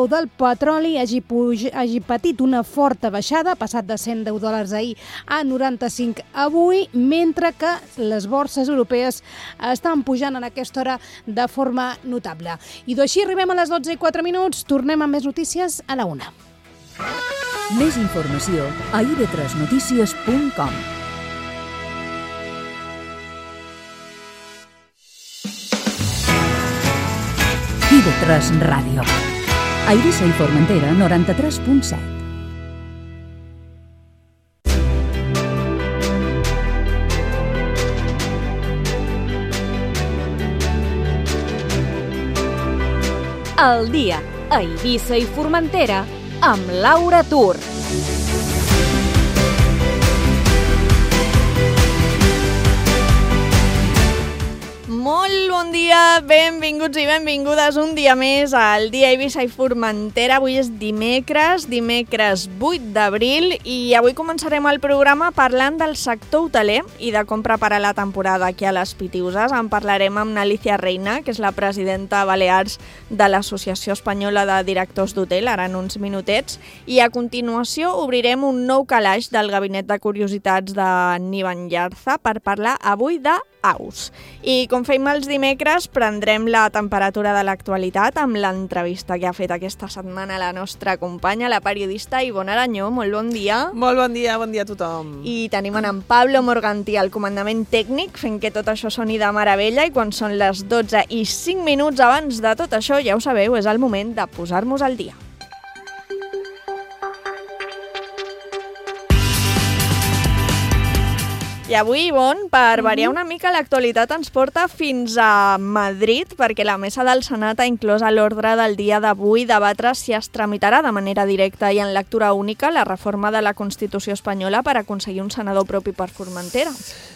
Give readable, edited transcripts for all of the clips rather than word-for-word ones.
preu del petroli hagi patit una forta baixada, ha passat de $110 ahir a 95 avui, mentre que les borses europees estan pujant en aquesta hora de forma notable. I d'així arribem a les 12:04, tornem amb més notícies a la 1. Més informació a ib3notícies.com. IB3 Ràdio. A Eivissa i Formentera, 93.7. El dia a Eivissa i Formentera amb Laura Tur. Molt bon dia, benvinguts i benvingudes un dia més al dia Eivissa i Formentera. Avui és dimecres 8 d'abril i avui començarem el programa parlant del sector hoteler i de com preparar la temporada aquí a les Pitiuses. En parlarem amb Alicia Reina, que és la presidenta a Balears de l'Associació Espanyola de Directors d'Hotel, ara en uns minutets, i a continuació obrirem un nou calaix del Gabinet de Curiositats de Nivan Llarza per parlar avui d'aus. I com fem els dimecres, prendrem la temperatura de l'actualitat amb l'entrevista que ha fet aquesta setmana la nostra companya, la periodista Ivonne Aranyó. Molt bon dia. Molt bon dia a tothom. I tenim en Pablo Morgantí al comandament tècnic, fent que tot això soni de meravella, i quan són les 12:05 abans de tot això, ja ho sabeu, és el moment de posar-nos al dia. I avui, Ivonne, per variar una mica, l'actualitat ens porta fins a Madrid, perquè la Mesa del Senat ha inclòs a l'ordre del dia d'avui debatre si es tramitarà de manera directa i en lectura única la reforma de la Constitució espanyola per aconseguir un senador propi per Formentera.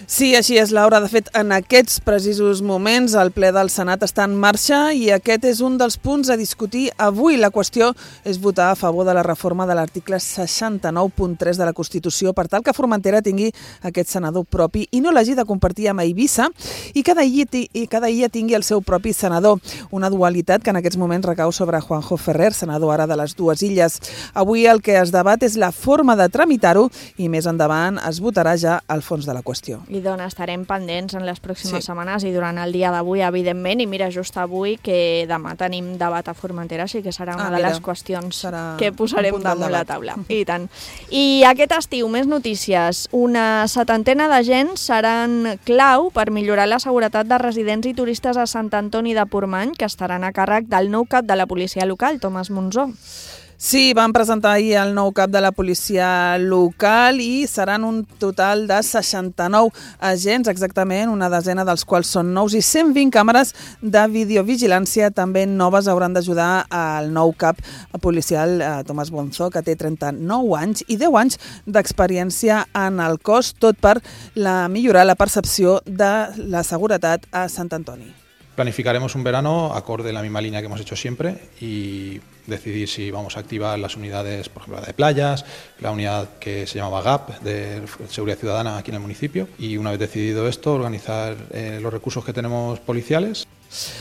Sí, així és, Laura. De fet, en aquests precisos moments el ple del Senat està en marxa i aquest és un dels punts a discutir avui. La qüestió és votar a favor de la reforma de l'article 69.3 de la Constitució per tal que Formentera tingui aquest senador propi i no l'hagi de compartir amb Eivissa i cada illa tingui el seu propi senador. Una dualitat que en aquests moments recau sobre Juanjo Ferrer, senador ara de les dues illes. Avui el que es debat és la forma de tramitar-ho i més endavant es votarà ja al fons de la qüestió. I doncs estarem pendents en les pròximes setmanes i durant el dia d'avui, evidentment, i mira, just avui que demà tenim debat a Formentera, així que serà una de les qüestions que posarem damunt la taula. I tant. I aquest estiu, més notícies. Una setantena d'agents seran clau per millorar la seguretat de residents i turistes a Sant Antoni de Portmany, que estaran a càrrec del nou cap de la policia local, Tomàs Monzó. Sí, van presentar ahir el nou cap de la policia local i seran un total de 69 agents, exactament, una desena dels quals són nous i 120 càmeres de videovigilància també noves hauran d'ajudar al nou cap policial Tomàs Monzó, que té 39 anys i 10 anys d'experiència en el cos, tot per millorar la percepció de la seguretat a Sant Antoni. Planificaremos un verano acorde a la misma línea que hemos hecho siempre y decidir si vamos a activar las unidades, por ejemplo, la de playas, la unidad que se llamaba GAP, de Seguridad Ciudadana aquí en el municipio, y una vez decidido esto, organizar los recursos que tenemos policiales.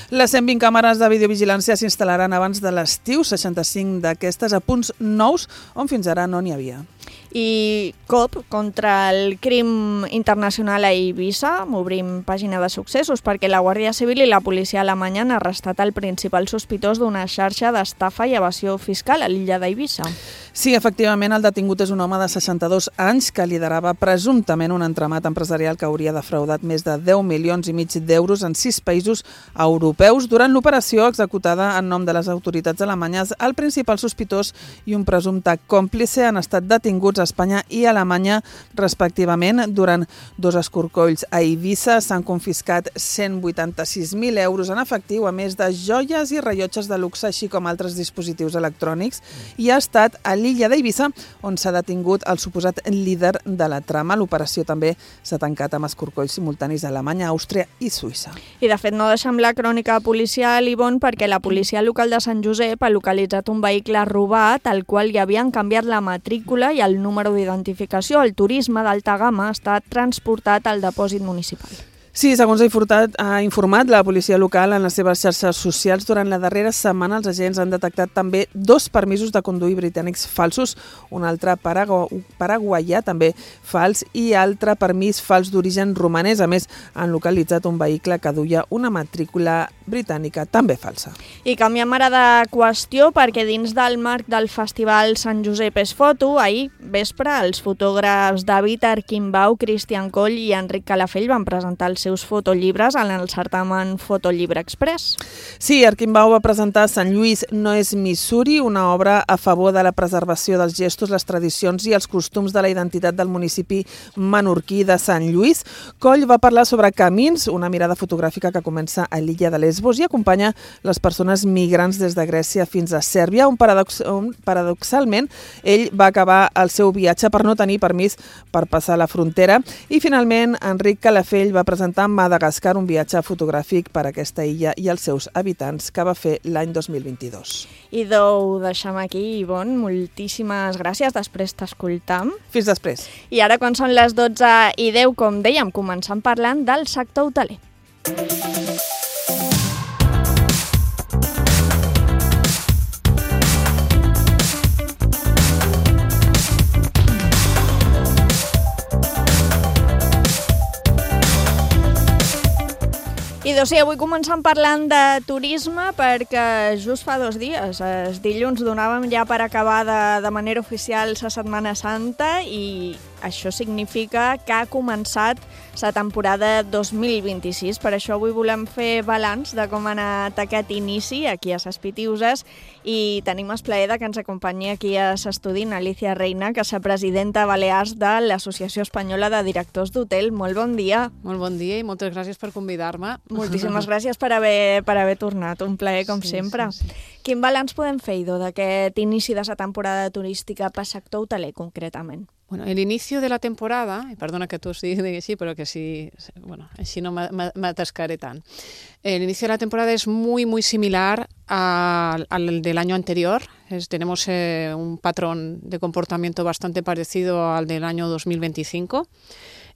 Les 120 càmeres de videovigilància s'instal·laran abans de l'estiu, 65 d'aquestes a punts nous on fins ara no n'hi havia. I COP contra el crim internacional a Eivissa. Obrim pàgina de successos perquè la Guàrdia Civil i la policia alemanya han arrestat el principal sospitós d'una xarxa d'estafa i evasió fiscal a l'illa d'Eivissa. Sí, efectivament, el detingut és un home de 62 anys que liderava presumptament un entramat empresarial que hauria defraudat més de 10,5 milions d'euros en 6 països europeus. Durant l'operació executada en nom de les autoritats alemanyes, el principal sospitós i un presumpte còmplice han estat detinguts a Espanya i Alemanya, respectivament. Durant 2 escorcolls a Eivissa s'han confiscat 186.000 euros en efectiu, a més de joies i rellotges de luxe, així com altres dispositius electrònics, i ha estat a l'illa d'Eivissa on s'ha detingut el suposat líder de la trama. L'operació també s'ha tancat amb escorcolls simultanis a Alemanya, Àustria i Suïssa. I de fet no deixem la crònica policial, Ivonne, perquè la policia local de Sant Josep ha localitzat un vehicle robat al qual hi havien canviat la matrícula i el número d'identificació. El turisme d'alta gamma ha estat transportat al depòsit municipal. Sí, segons ha informat la policia local en les seves xarxes socials, durant la darrera setmana els agents han detectat també 2 permisos de conduir britànics falsos, un altre paraguaià també fals i altre permís fals d'origen romanès. A més, han localitzat un vehicle que duia una matrícula britànica també falsa. I canviem ara de qüestió perquè dins del marc del Festival Sant Josep és Foto, ahir vespre els fotògrafs David Arquimbau, Cristian Coll i Enric Calafell van presentar els seus fotollibres en el certamen Fotollibre Express. Sí, Arquimbau va presentar Sant Lluís no és Missouri, una obra a favor de la preservació dels gestos, les tradicions i els costums de la identitat del municipi menorquí de Sant Lluís. Coll va parlar sobre Camins, una mirada fotogràfica que comença a l'illa de Lesbos i acompanya les persones migrants des de Grècia fins a Sèrbia, on paradoxalment ell va acabar el seu viatge per no tenir permís per passar la frontera. I finalment Enric Calafell va presentar Madagascar, un viatge fotogràfic per a aquesta illa i els seus habitants que va fer l'any 2022. I ho deixem aquí, Ivonne. Moltíssimes gràcies. Després t'escoltam. Fins després. I ara, quan són les 12:10, com dèiem, començant parlant del sector hoteler. I sí, avui començant parlant de turisme perquè just fa 2 dies, els dilluns, donàvem ja per acabada de manera oficial la Setmana Santa i això significa que ha començat la temporada 2026. Per això avui volem fer balanç de com ha anat aquest inici aquí a les Pitiuses i tenim el plaer que ens acompanyi aquí a l'estudi Alicia Reina, que és la presidenta balears de l'Associació Espanyola de Directors d'Hotel. Molt bon dia. Molt bon dia i moltes gràcies per convidar-me. Moltíssimes gràcies per haver tornat. Un plaer, com sempre. Sí. Quin balanç podem fer, Ido, d'aquest inici de la temporada turística per sector hoteler, concretament? Bueno, el inicio de la temporada, y perdona que tú sí digas sí, pero que sí, bueno, así no me atascaré tan. El inicio de la temporada es muy, muy similar al del año anterior. Tenemos un patrón de comportamiento bastante parecido al del año 2025.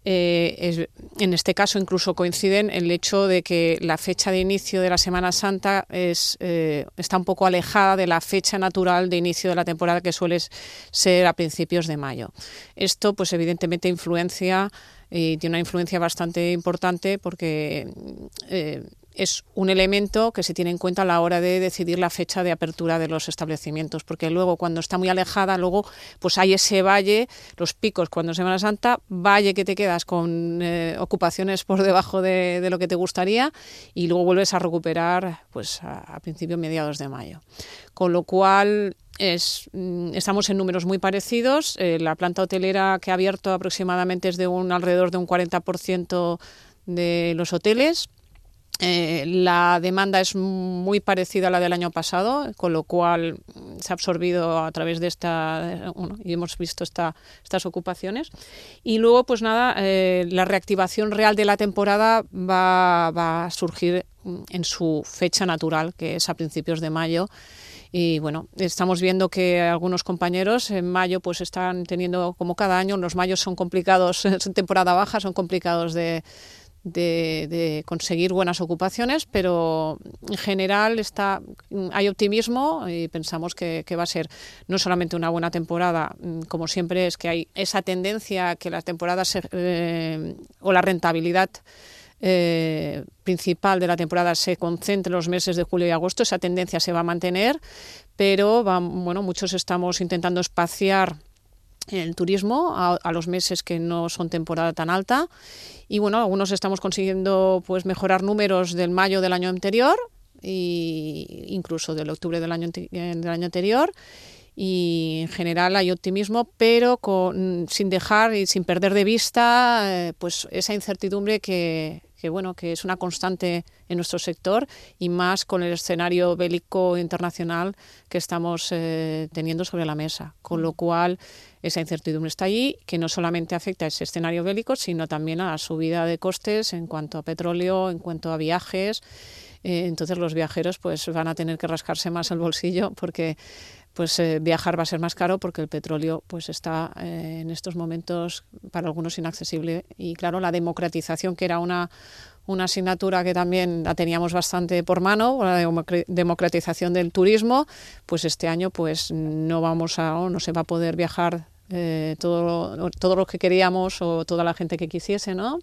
En este caso incluso coinciden el hecho de que la fecha de inicio de la Semana Santa está un poco alejada de la fecha natural de inicio de la temporada, que suele ser a principios de mayo. Esto pues evidentemente influencia y tiene una influencia bastante importante porque es un elemento que se tiene en cuenta a la hora de decidir la fecha de apertura de los establecimientos, porque luego cuando está muy alejada, luego pues hay ese valle, los picos cuando es Semana Santa, valle que te quedas con ocupaciones por debajo de lo que te gustaría y luego vuelves a recuperar pues a principios mediados de mayo. Con lo cual estamos en números muy parecidos. La planta hotelera que ha abierto aproximadamente es de alrededor de un 40% de los hoteles. La demanda es muy parecida a la del año pasado, con lo cual se ha absorbido a través de y hemos visto estas ocupaciones. Y luego, pues nada, la reactivación real de la temporada va a surgir en su fecha natural, que es a principios de mayo. Y bueno, estamos viendo que algunos compañeros en mayo pues están teniendo, como cada año, los mayos son complicados, en temporada baja, son complicados de conseguir buenas ocupaciones, pero en general hay optimismo y pensamos que va a ser no solamente una buena temporada, como siempre es que hay esa tendencia a que la temporada o la rentabilidad principal de la temporada se concentre en los meses de julio y agosto. Esa tendencia se va a mantener, pero muchos estamos intentando espaciar el turismo a los meses que no son temporada tan alta y bueno, algunos estamos consiguiendo pues mejorar números del mayo del año anterior e incluso del octubre del año anterior y en general hay optimismo, pero sin dejar y sin perder de vista pues esa incertidumbre que es una constante en nuestro sector y más con el escenario bélico internacional que estamos teniendo sobre la mesa. Con lo cual, esa incertidumbre está allí, que no solamente afecta a ese escenario bélico, sino también a la subida de costes en cuanto a petróleo, en cuanto a viajes. Entonces los viajeros pues van a tener que rascarse más el bolsillo porque viajar va a ser más caro porque el petróleo pues está en estos momentos para algunos inaccesible y claro, la democratización que era una una asignatura que también la teníamos bastante por mano, la democratización del turismo, pues este año pues no se va a poder viajar todo lo que queríamos o toda la gente que quisiese, ¿no?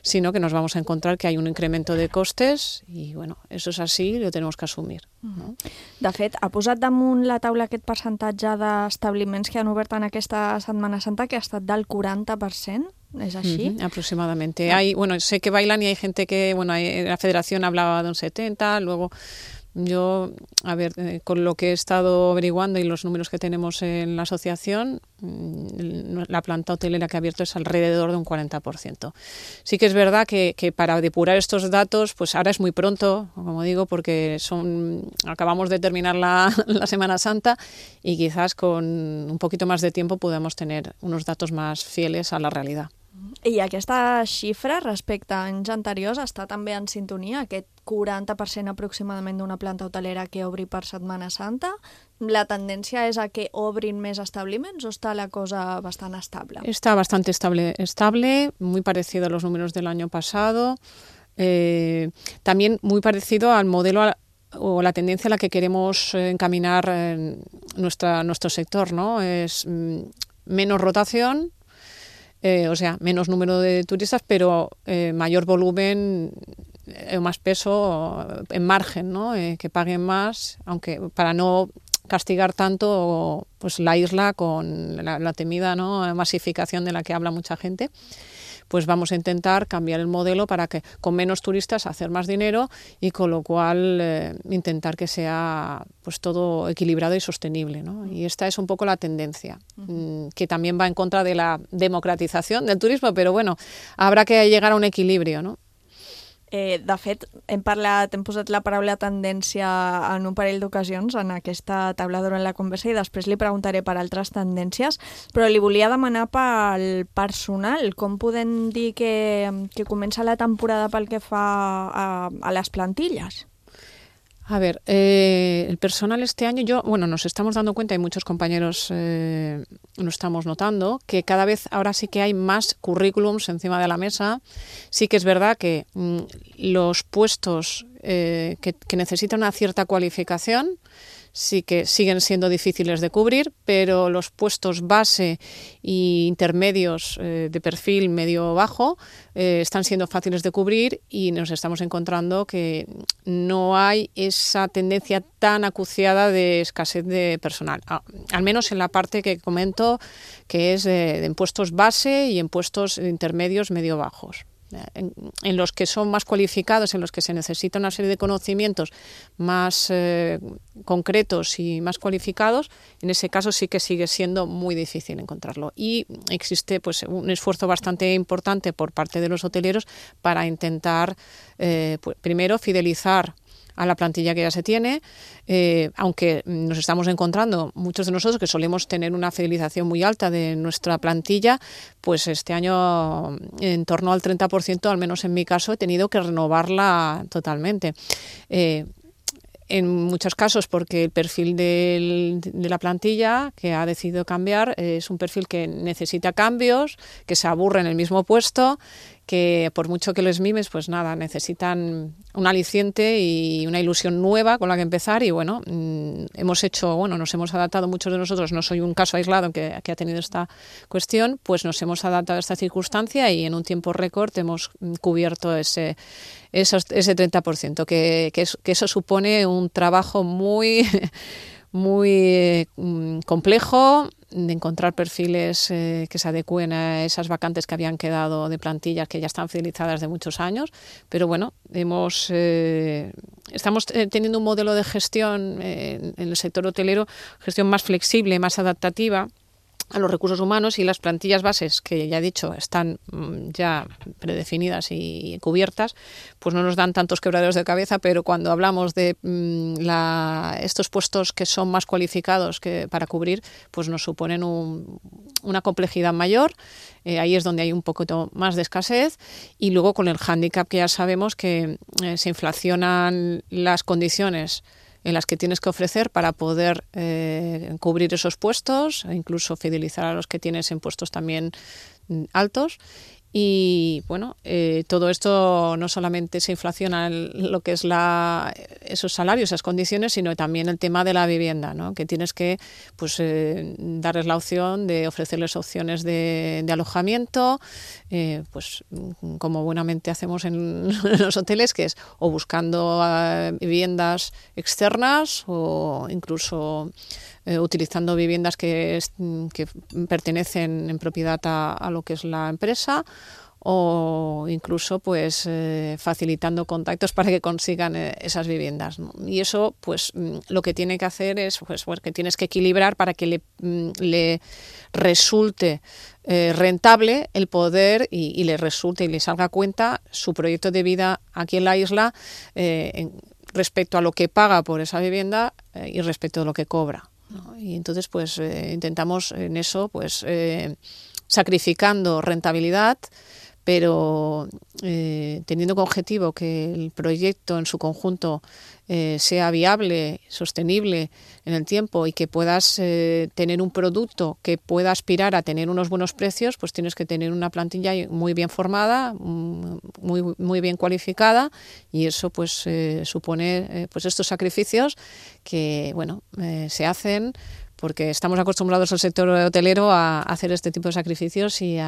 Sino que nos vamos a encontrar que hay un incremento de costes i, bueno, eso és així i lo tenemos que assumir. No? De fet, ha posat damunt la taula aquest percentatge d'establiments que han obert en aquesta Setmana Santa que ha estat del 40%. ¿Es así? Aproximadamente. Sé que bailan y hay gente que, la federación hablaba de un 70, luego yo, con lo que he estado averiguando y los números que tenemos en la asociación, la planta hotelera que ha abierto es alrededor de un 40%. Sí que es verdad que para depurar estos datos, pues ahora es muy pronto, como digo, porque acabamos de terminar la Semana Santa y quizás con un poquito más de tiempo podamos tener unos datos más fieles a la realidad. I aquesta xifra respecte a anys anteriors està també en sintonia, aquest 40% aproximadament d'una planta hotelera que obri per Setmana Santa. La tendència és a que obrin més establiments o està la cosa bastant estable? Está bastante estable, muy parecido a los números del año pasado, también muy parecido al modelo o la tendencia a la que queremos encaminar nuestro sector, ¿no? Es menos rotación, menos número de turistas, pero mayor volumen, más peso en margen, ¿no? Que paguen más, aunque para no castigar tanto pues la isla con la temida, ¿no? Masificación de la que habla mucha gente, pues vamos a intentar cambiar el modelo para que con menos turistas hacer más dinero y con lo cual intentar que sea pues todo equilibrado y sostenible, ¿no? Y esta es un poco la tendencia, que también va en contra de la democratización del turismo, pero bueno, habrá que llegar a un equilibrio, ¿no? De fet, hem posat la paraula tendència en un parell d'ocasions en aquesta taula durant la conversa i després li preguntaré per altres tendències, però li volia demanar pel personal. Com podem dir que comença la temporada pel que fa a les plantilles? A ver, el personal este año, nos estamos dando cuenta, y muchos compañeros lo estamos notando, que cada vez ahora sí que hay más currículums encima de la mesa. Sí que es verdad que los puestos que necesitan una cierta cualificación sí que siguen siendo difíciles de cubrir, pero los puestos base e intermedios de perfil medio-bajo están siendo fáciles de cubrir y nos estamos encontrando que no hay esa tendencia tan acuciada de escasez de personal, al menos en la parte que comento, que es en puestos base y en puestos intermedios medio-bajos. En los que son más cualificados, en los que se necesita una serie de conocimientos más concretos y más cualificados, en ese caso sí que sigue siendo muy difícil encontrarlo. Y existe pues un esfuerzo bastante importante por parte de los hoteleros para intentar, primero, fidelizar a la plantilla que ya se tiene, aunque nos estamos encontrando muchos de nosotros que solemos tener una fidelización muy alta de nuestra plantilla, pues este año en torno al 30%, al menos en mi caso, he tenido que renovarla totalmente. En muchos casos porque el perfil de la plantilla que ha decidido cambiar es un perfil que necesita cambios, que se aburre en el mismo puesto, que por mucho que les mimes, pues nada, necesitan un aliciente y una ilusión nueva con la que empezar y nos hemos adaptado muchos de nosotros, no soy un caso aislado que ha tenido esta cuestión, pues nos hemos adaptado a esta circunstancia y en un tiempo récord hemos cubierto ese 30%, que eso supone un trabajo muy, muy complejo de encontrar perfiles que se adecúen a esas vacantes que habían quedado de plantillas que ya están fidelizadas de muchos años, pero estamos teniendo un modelo de gestión en el sector hotelero, gestión más flexible, más adaptativa a los recursos humanos, y las plantillas bases, que ya he dicho, están ya predefinidas y cubiertas, pues no nos dan tantos quebraderos de cabeza, pero cuando hablamos de estos puestos que son más cualificados para cubrir, pues nos suponen una complejidad mayor. Ahí es donde hay un poquito más de escasez, y luego con el hándicap que ya sabemos que se inflacionan las condiciones en las que tienes que ofrecer para poder cubrir esos puestos e incluso fidelizar a los que tienes en puestos también altos. Y bueno, todo esto no solamente se inflaciona en lo que es esos salarios, esas condiciones, sino también el tema de la vivienda, ¿no? Que tienes que darles la opción de ofrecerles opciones de alojamiento, pues como buenamente hacemos en los hoteles, que es o buscando viviendas externas o incluso utilizando viviendas que pertenecen en propiedad a lo que es la empresa, o incluso pues facilitando contactos para que consigan esas viviendas, ¿no? Y eso pues lo que tiene que hacer es pues que tienes que equilibrar para que le resulte rentable el poder y le resulte y le salga a cuenta su proyecto de vida aquí en la isla, respecto a lo que paga por esa vivienda y respecto a lo que cobra, ¿no? Y entonces pues intentamos en eso pues sacrificando rentabilidad, pero teniendo como objetivo que el proyecto en su conjunto sea viable, sostenible en el tiempo y que puedas tener un producto que pueda aspirar a tener unos buenos precios, pues tienes que tener una plantilla muy bien formada, muy bien cualificada, y eso pues supone pues estos sacrificios que bueno se hacen porque estamos acostumbrados al sector hotelero a hacer este tipo de sacrificios y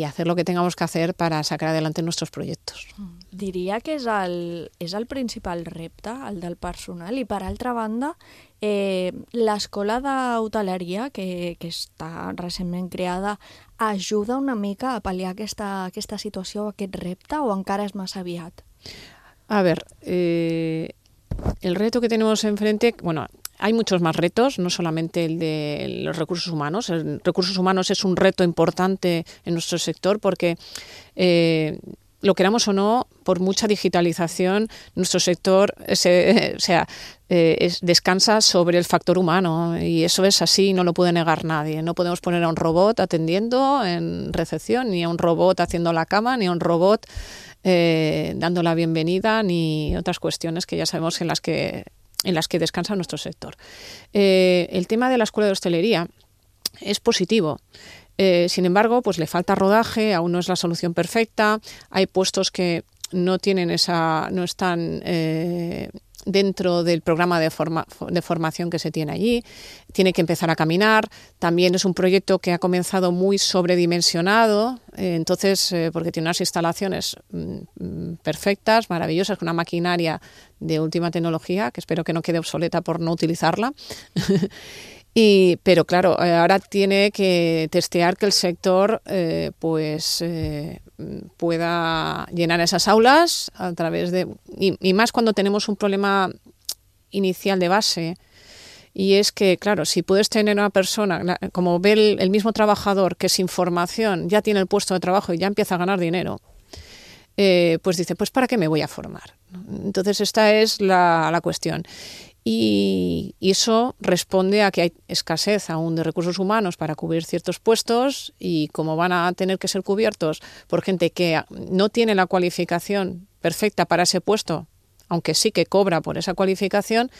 hacer lo que tengamos que hacer para sacar adelante nuestros proyectos. Diria que és el principal repte, el del personal, i per altra banda, l'escola d'hoteleria, que està recentment creada, ajuda una mica a pal·liar aquesta situació, aquest repte, o encara és massa aviat? A ver, el reto que tenemos enfrente, bueno, hay muchos más retos, no solamente el de los recursos humanos. El recursos humanos es un reto importante en nuestro sector porque, lo queramos o no, por mucha digitalización, nuestro sector descansa sobre el factor humano, y eso es así, no lo puede negar nadie. No podemos poner a un robot atendiendo en recepción, ni a un robot haciendo la cama, ni a un robot dando la bienvenida, ni otras cuestiones que ya sabemos en las que descansa nuestro sector. El tema de la escuela de hostelería es positivo. Sin embargo, pues le falta rodaje, aún no es la solución perfecta. Hay puestos que no están dentro del programa de formación que se tiene allí. Tiene que empezar a caminar. También es un proyecto que ha comenzado muy sobredimensionado, entonces porque tiene unas instalaciones perfectas, maravillosas, con una maquinaria de última tecnología, que espero que no quede obsoleta por no utilizarla. Pero claro, ahora tiene que testear que el sector pueda llenar esas aulas a través de... Y más cuando tenemos un problema inicial de base, y es que, claro, si puedes tener una persona, como ve el mismo trabajador, que sin formación ya tiene el puesto de trabajo y ya empieza a ganar dinero, pues dice, pues ¿para qué me voy a formar? Entonces esta es la cuestión. Y eso responde a que hay escasez aún de recursos humanos para cubrir ciertos puestos, y como van a tener que ser cubiertos por gente que no tiene la cualificación perfecta para ese puesto, aunque sí que cobra por esa cualificación,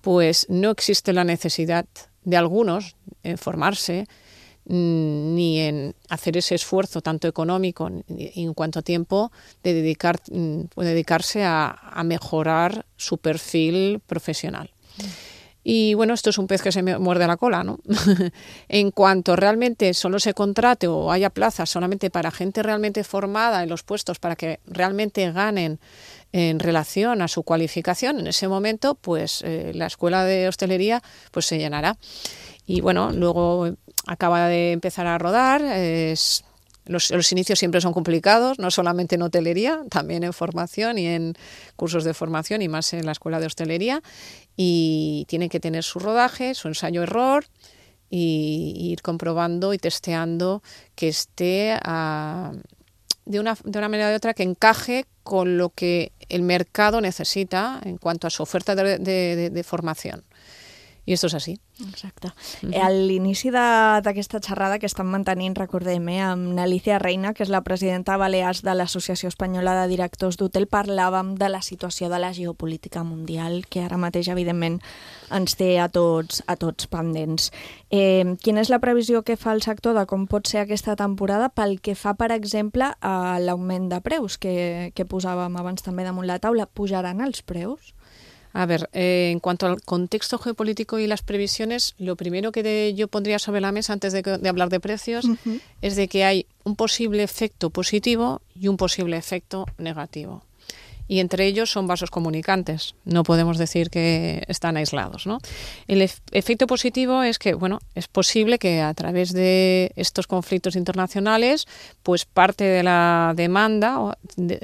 pues no existe la necesidad de algunos en formarse, ni en hacer ese esfuerzo tanto económico y en cuanto a tiempo de dedicarse a mejorar su perfil profesional. Y bueno, esto es un pez que se muerde la cola, ¿no? En cuanto realmente solo se contrate o haya plazas solamente para gente realmente formada en los puestos, para que realmente ganen en relación a su cualificación, en ese momento pues la escuela de hostelería pues se llenará. Y bueno, luego acaba de empezar a rodar. Los inicios siempre son complicados, no solamente en hotelería, también en formación y en cursos de formación, y más en la escuela de hostelería. Y tiene que tener su rodaje, su ensayo-error, y ir comprobando y testeando que esté de una manera o de otra que encaje con lo que el mercado necesita en cuanto a su oferta de formación. I esto és així. Exacte. A l'inici d'aquesta xerrada que estan mantenint, recordem, amb Alicia Reina, que és la presidenta Balears de l'Associació Espanyola de Directors d'Hotel, parlàvem de la situació de la geopolítica mundial, que ara mateix, evidentment, ens té a tots pendents. Quina és la previsió que fa el sector de com pot ser aquesta temporada pel que fa, per exemple, a l'augment de preus que posàvem abans també damunt la taula? Pujaran els preus? A ver, en cuanto al contexto geopolítico y las previsiones, lo primero que yo pondría sobre la mesa antes de hablar de precios es de que hay un posible efecto positivo y un posible efecto negativo. Y entre ellos son vasos comunicantes, no podemos decir que están aislados, ¿no? El efecto positivo es que, bueno, es posible que a través de estos conflictos internacionales, pues parte de la demanda, o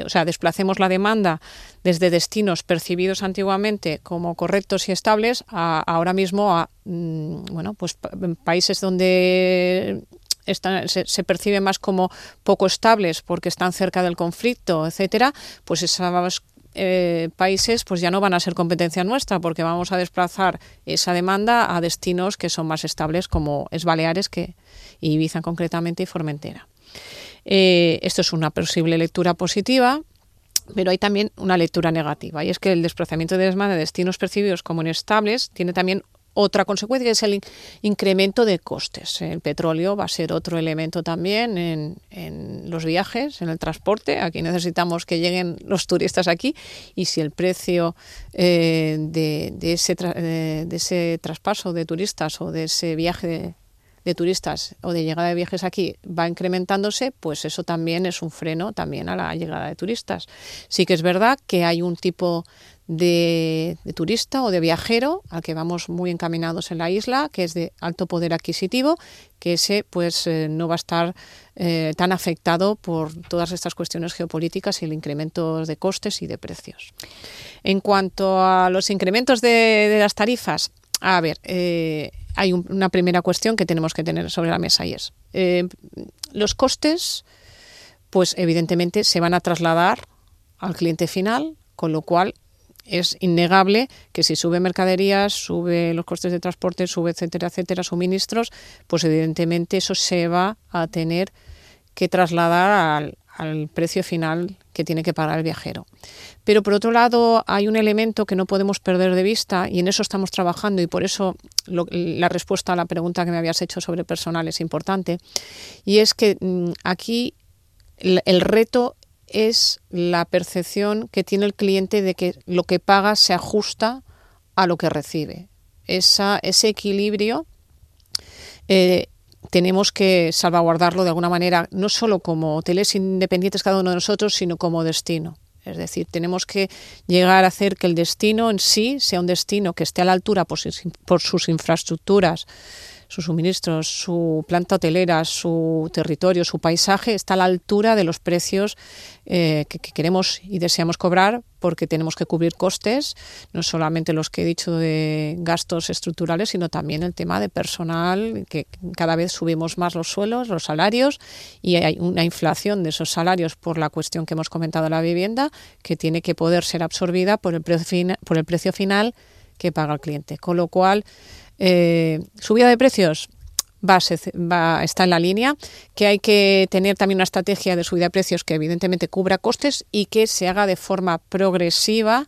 sea, desplacemos la demanda desde destinos percibidos antiguamente como correctos y estables ahora mismo a, bueno, pues países donde se percibe más como poco estables porque están cerca del conflicto, etcétera, pues esos países pues ya no van a ser competencia nuestra porque vamos a desplazar esa demanda a destinos que son más estables como es Baleares y Ibiza concretamente y Formentera. Esto es una posible lectura positiva, pero hay también una lectura negativa y es que el desplazamiento de demanda de destinos percibidos como inestables tiene también otra consecuencia, que es el incremento de costes. El petróleo va a ser otro elemento también en los viajes, en el transporte. Aquí necesitamos que lleguen los turistas aquí y si el precio de ese traspaso de turistas o de ese viaje de turistas o de llegada de viajes aquí va incrementándose, pues eso también es un freno también a la llegada de turistas. Sí que es verdad que hay un tipo de turista o de viajero al que vamos muy encaminados en la isla, que es de alto poder adquisitivo, que ese pues no va a estar tan afectado por todas estas cuestiones geopolíticas y el incremento de costes y de precios. En cuanto a los incrementos de las tarifas, a ver, hay una primera cuestión que tenemos que tener sobre la mesa y es los costes, pues evidentemente se van a trasladar al cliente final, con lo cual es innegable que si sube mercaderías, sube los costes de transporte, sube etcétera, etcétera, suministros, pues evidentemente eso se va a tener que trasladar al precio final que tiene que pagar el viajero. Pero por otro lado hay un elemento que no podemos perder de vista y en eso estamos trabajando y por eso la respuesta a la pregunta que me habías hecho sobre personal es importante y es que aquí el reto es la percepción que tiene el cliente de que lo que paga se ajusta a lo que recibe. Ese equilibrio tenemos que salvaguardarlo de alguna manera, no solo como hoteles independientes cada uno de nosotros, sino como destino. Es decir, tenemos que llegar a hacer que el destino en sí sea un destino que esté a la altura por sus infraestructuras, sus suministros, su planta hotelera, su territorio, su paisaje, está a la altura de los precios que queremos y deseamos cobrar, porque tenemos que cubrir costes, no solamente los que he dicho de gastos estructurales, sino también el tema de personal, que cada vez subimos más los sueldos, los salarios, y hay una inflación de esos salarios por la cuestión que hemos comentado de la vivienda, que tiene que poder ser absorbida por el precio final que paga el cliente. Con lo cual, subida de precios está en la línea, que hay que tener también una estrategia de subida de precios que evidentemente cubra costes y que se haga de forma progresiva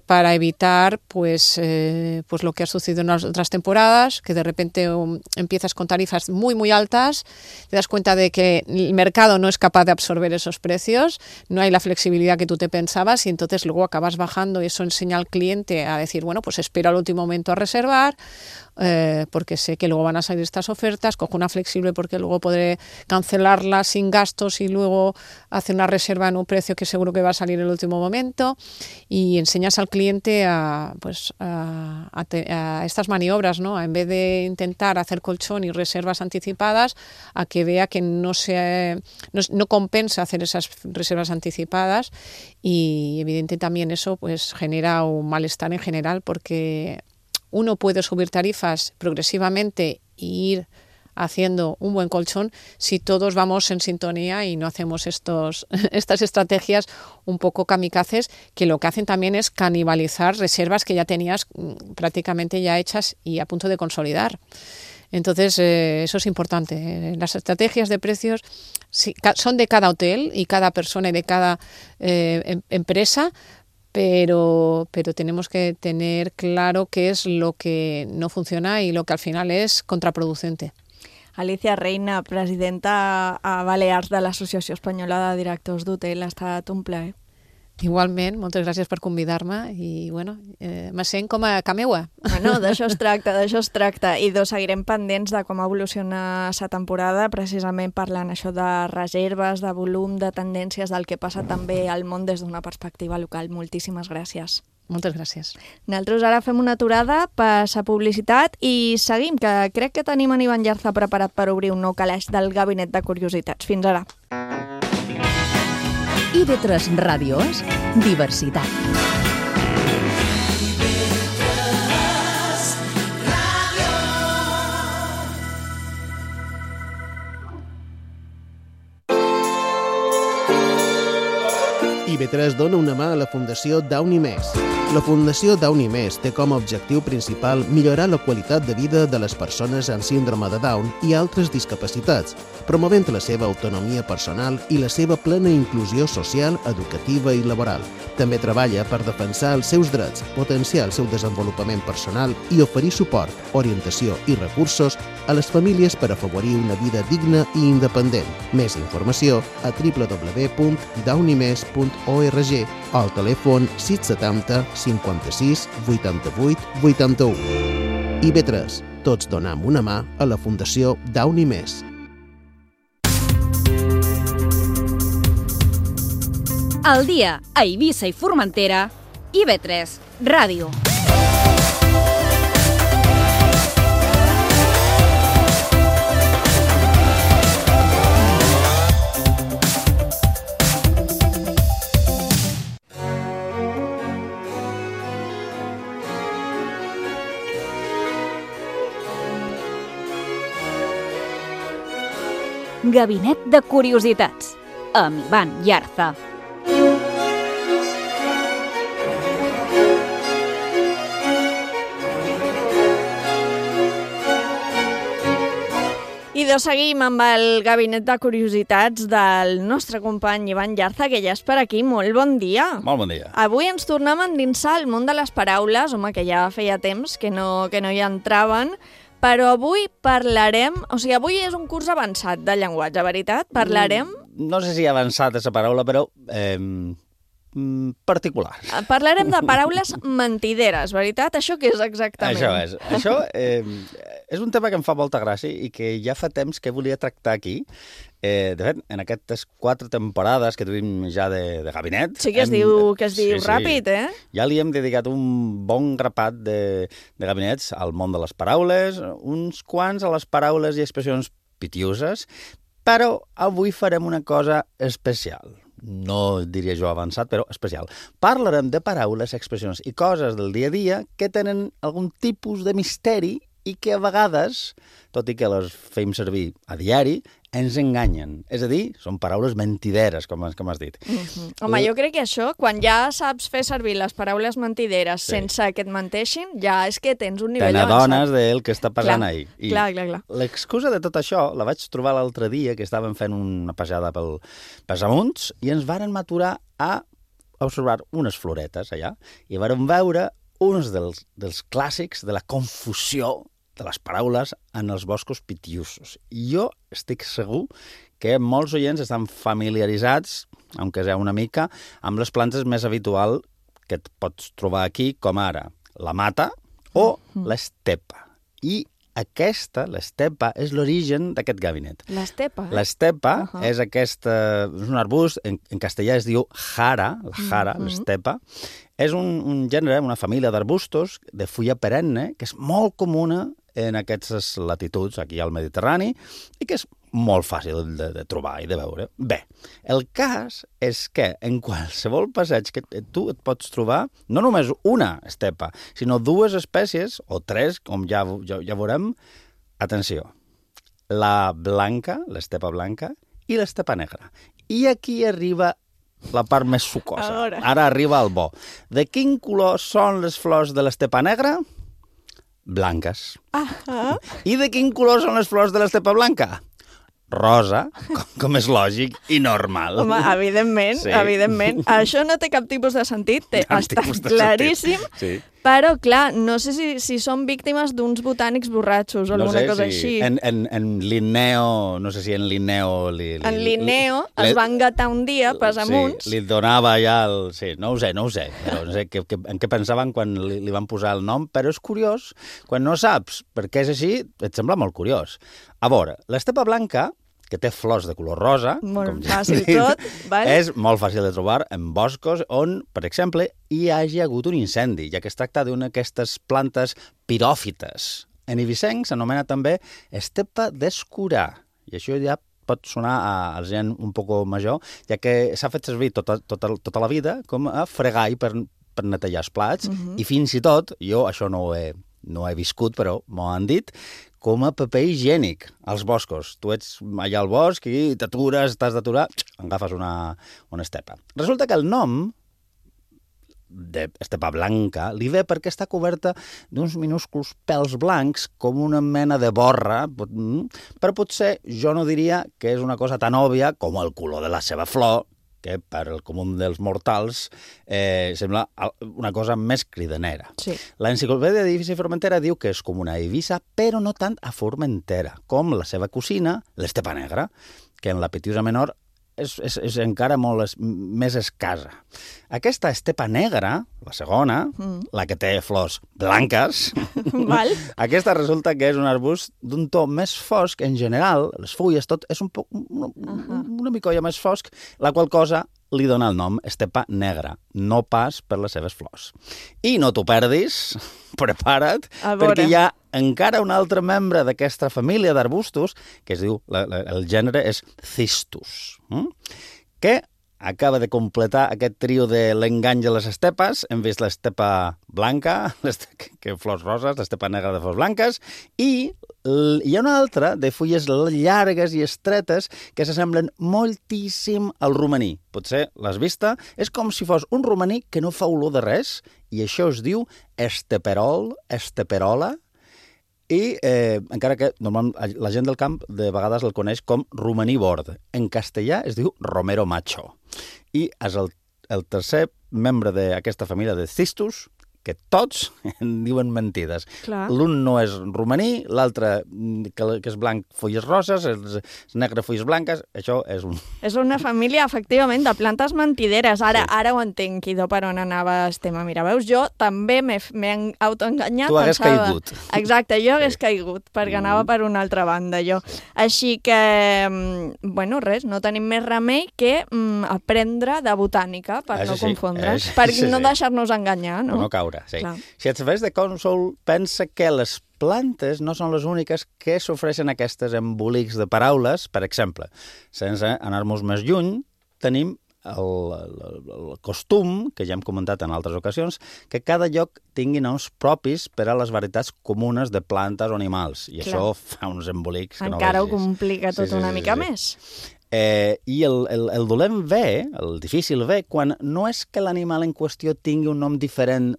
para evitar pues lo que ha sucedido en las otras temporadas, que de repente empiezas con tarifas muy muy altas, te das cuenta de que el mercado no es capaz de absorber esos precios, no hay la flexibilidad que tú te pensabas y entonces luego acabas bajando y eso enseña al cliente a decir, bueno, pues espero al último momento a reservar, porque sé que luego van a salir estas ofertas, cojo una flexible porque luego podré cancelarla sin gastos y luego hacer una reserva en un precio que seguro que va a salir en el último momento, y enseñas al cliente a estas maniobras, ¿no? En vez de intentar hacer colchón y reservas anticipadas, a que vea que no compensa hacer esas reservas anticipadas, y evidente también eso pues genera un malestar en general, porque uno puede subir tarifas progresivamente e ir haciendo un buen colchón si todos vamos en sintonía y no hacemos estas estrategias un poco kamikazes, que lo que hacen también es canibalizar reservas que ya tenías prácticamente ya hechas y a punto de consolidar. Entonces, eso es importante. Las estrategias de precios son de cada hotel y cada persona y de cada empresa, pero tenemos que tener claro qué es lo que no funciona y lo que al final es contraproducente. Alicia Reina, presidenta a Balears de l'Associació Espanyola de Directors d'Hotel, ha estat un plaer. Igualment, moltes gràcies per convidar-me i, bueno, me sent com a cameua. Bueno, d'això es tracta. I seguirem pendents de com evoluciona la temporada, precisament parlant això de reserves, de volum, de tendències, del que passa també al món des d'una perspectiva local. Moltíssimes gràcies. Moltes gràcies. Nosaltres ara fem una aturada per la publicitat i seguim, que crec que tenim en Ivan Llarza preparat per obrir un nou calaix del Gabinet de Curiositats. Fins ara. IB3 Ràdio és diversitat. IB3 dona una mà a la Fundació Downy Més. La Fundació Downy Més té com a objectiu principal millorar la qualitat de vida de les persones amb síndrome de Down i altres discapacitats, promovent la seva autonomia personal i la seva plena inclusió social, educativa i laboral. També treballa per defensar els seus drets, potenciar el seu desenvolupament personal i oferir suport, orientació i recursos a les famílies per afavorir una vida digna i independent. Més informació a www.downymes.org o al telèfon 670 56 88 81. IB3. Tots donem una mà a la Fundació Downy Més. Al dia a Eivissa i Formentera, IB3 Ràdio. Gabinet de Curiositats, amb Ivan Llarza. I seguim amb el Gabinet de Curiositats del nostre company Ivan Llarza, que ja és per aquí. Molt bon dia. Molt bon dia. Avui ens tornem a endinsar al món de les paraules, home, que ja feia temps que no hi entraven, però avui parlarem... O sigui, avui és un curs avançat de llenguatge, veritat? Parlarem... No sé si avançat és la paraula, però particular. Parlarem de paraules mentideres, veritat? Això què és exactament? Això és. Això és un tema que em fa molta gràcia i que ja fa temps que volia tractar aquí. De fet, en aquestes 4 temporades que tenim ja de gabinet... Sí que es diu ràpid, eh? Ja li hem dedicat un bon grapat de gabinets al món de les paraules, uns quants a les paraules i expressions pitiuses, però avui farem una cosa especial. No diria jo avançat, però especial. Parlarem de paraules, expressions i coses del dia a dia que tenen algun tipus de misteri i que a vegades, tot i que les fem servir a diari, ens enganyen. És a dir, són paraules mentideres, com has dit. Home, jo crec que això, quan ja saps fer servir les paraules mentideres sense que et menteixin, ja és que tens un nivell avançat. Te n'adones del que està passant ahí. Clar. L'excusa de tot això la vaig trobar l'altre dia, que estàvem fent una passejada pels amunts, i ens varen maturar a observar unes floretes allà, i varen veure uns dels clàssics de la confusió de les paraules en els boscos pitiusos. I jo estic segur que molts oients estan familiaritzats, aunque sea una mica, amb les plantes més habituals que et pots trobar aquí, com ara la mata o l'estepa. I aquesta, l'estepa, és l'origen d'aquest gabinet. L'estepa? L'estepa és un arbust, en castellà es diu jara, l'estepa. És un gènere, una família d'arbustos de fulla perenne, que és molt comuna en aquestes latituds, aquí al Mediterrani, i que és molt fàcil de trobar i de veure. Bé, el cas és que en qualsevol passeig que tu et pots trobar, no només una estepa, sinó 2 espècies, o 3, com ja veurem. Atenció, la blanca, l'estepa blanca, i l'estepa negra. I aquí arriba la part més sucosa. Ara arriba el bo. De quin color són les flors de l'estepa negra? Blanques. I de quin color són les flors de l'estepa blanca? Rosa, com és lògic i normal. Home, evidentment, evidentment. Això no té cap tipus de sentit, està claríssim, però, clar, no sé si són víctimes d'uns botànics borratxos o alguna cosa així. En Linneo, no sé si en Linneo... En Linneo es va engatar un dia, pas amunt. Sí, li donava ja el... Sí, no ho sé, però no sé en què pensaven quan li van posar el nom, però és curiós, quan no saps per què és així, et sembla molt curiós. A veure, l'estepa blanca, que té flors de color rosa, molt fàcil tot, és molt fàcil de trobar en boscos on, per exemple, hi hagi hagut un incendi, ja que es tracta d'una d'aquestes plantes piròfites. En eivissenc s'anomena també estepa d'escurà, i això ja pot sonar a gent un poc major, ja que s'ha fet servir tota la vida com a fregall per netejar els plats, i fins i tot, jo això no ho he viscut, però m'ho han dit, com a paper higiènic als boscos. Tu ets allà al bosc i t'atures, t'has d'aturar, agafes una estepa. Resulta que el nom d'estepa blanca li ve perquè està coberta d'uns minúsculs pèls blancs com una mena de borra, però potser jo no diria que és una cosa tan òbvia com el color de la seva flor, que per al comú dels mortals sembla una cosa més cridanera. Sí. L'Enciclopèdia d'Eivissa i Formentera diu que és comuna a Eivissa, però no tant a Formentera, com la seva cosina, l'estepa negra, que en la Pitiusa Menor és encara molt més escassa. Aquesta estepa negra, la segona, la que té flors blanques, aquesta resulta que és un arbust d'un to més fosc. En general, les fulles, tot és una micolla més fosc, la qual cosa li dona el nom estepa negra, no pas per les seves flors. I no t'ho perdis, prepara't, perquè hi ha encara un altre membre d'aquesta família d'arbustos, que es diu, el gènere és Cistus, que acaba de completar aquest trio de l'engany de les estepes. Hem vist l'estepa blanca, que flors roses, l'estepa negra de flors blanques, i hi ha una altra de fulles llargues i estretes que s'assemblen moltíssim al romaní. Potser l'has vista? És com si fos un romaní que no fa olor de res, i això es diu esteperol, esteperola, i encara que normalment la gent del camp de vegades el coneix com romaní bord. En castellà es diu romero macho. I és el tercer membre d'aquesta família de Cistus, que tots en diuen mentides. L'un no és romaní, l'altre, que és blanc, fulles roses, és negre, fulles blanques, això és un... És una família, efectivament, de plantes mentideres. Ara ho entenc, idò, per on anava el tema. Mira, veus, jo també m'he autoenganyat. Tu hagués caigut. Exacte, jo hagués caigut, perquè anava per una altra banda, jo. Així que, bueno, res, no tenim més remei que aprendre de botànica, per no confondre's, per no deixar-nos enganyar, no? No caure. Sí. Si et serveix de cònsol, pensa que les plantes no són les úniques que s'ofreixen aquestes embolics de paraules. Per exemple, sense anar-nos més lluny, tenim el costum, que ja hem comentat en altres ocasions, que cada lloc tingui noms propis per a les varietats comunes de plantes o animals. I això fa uns embolics que no vegis. Encara ho complica tot una mica més. I el dolent ve, el difícil ve, quan no és que l'animal en qüestió tingui un nom diferent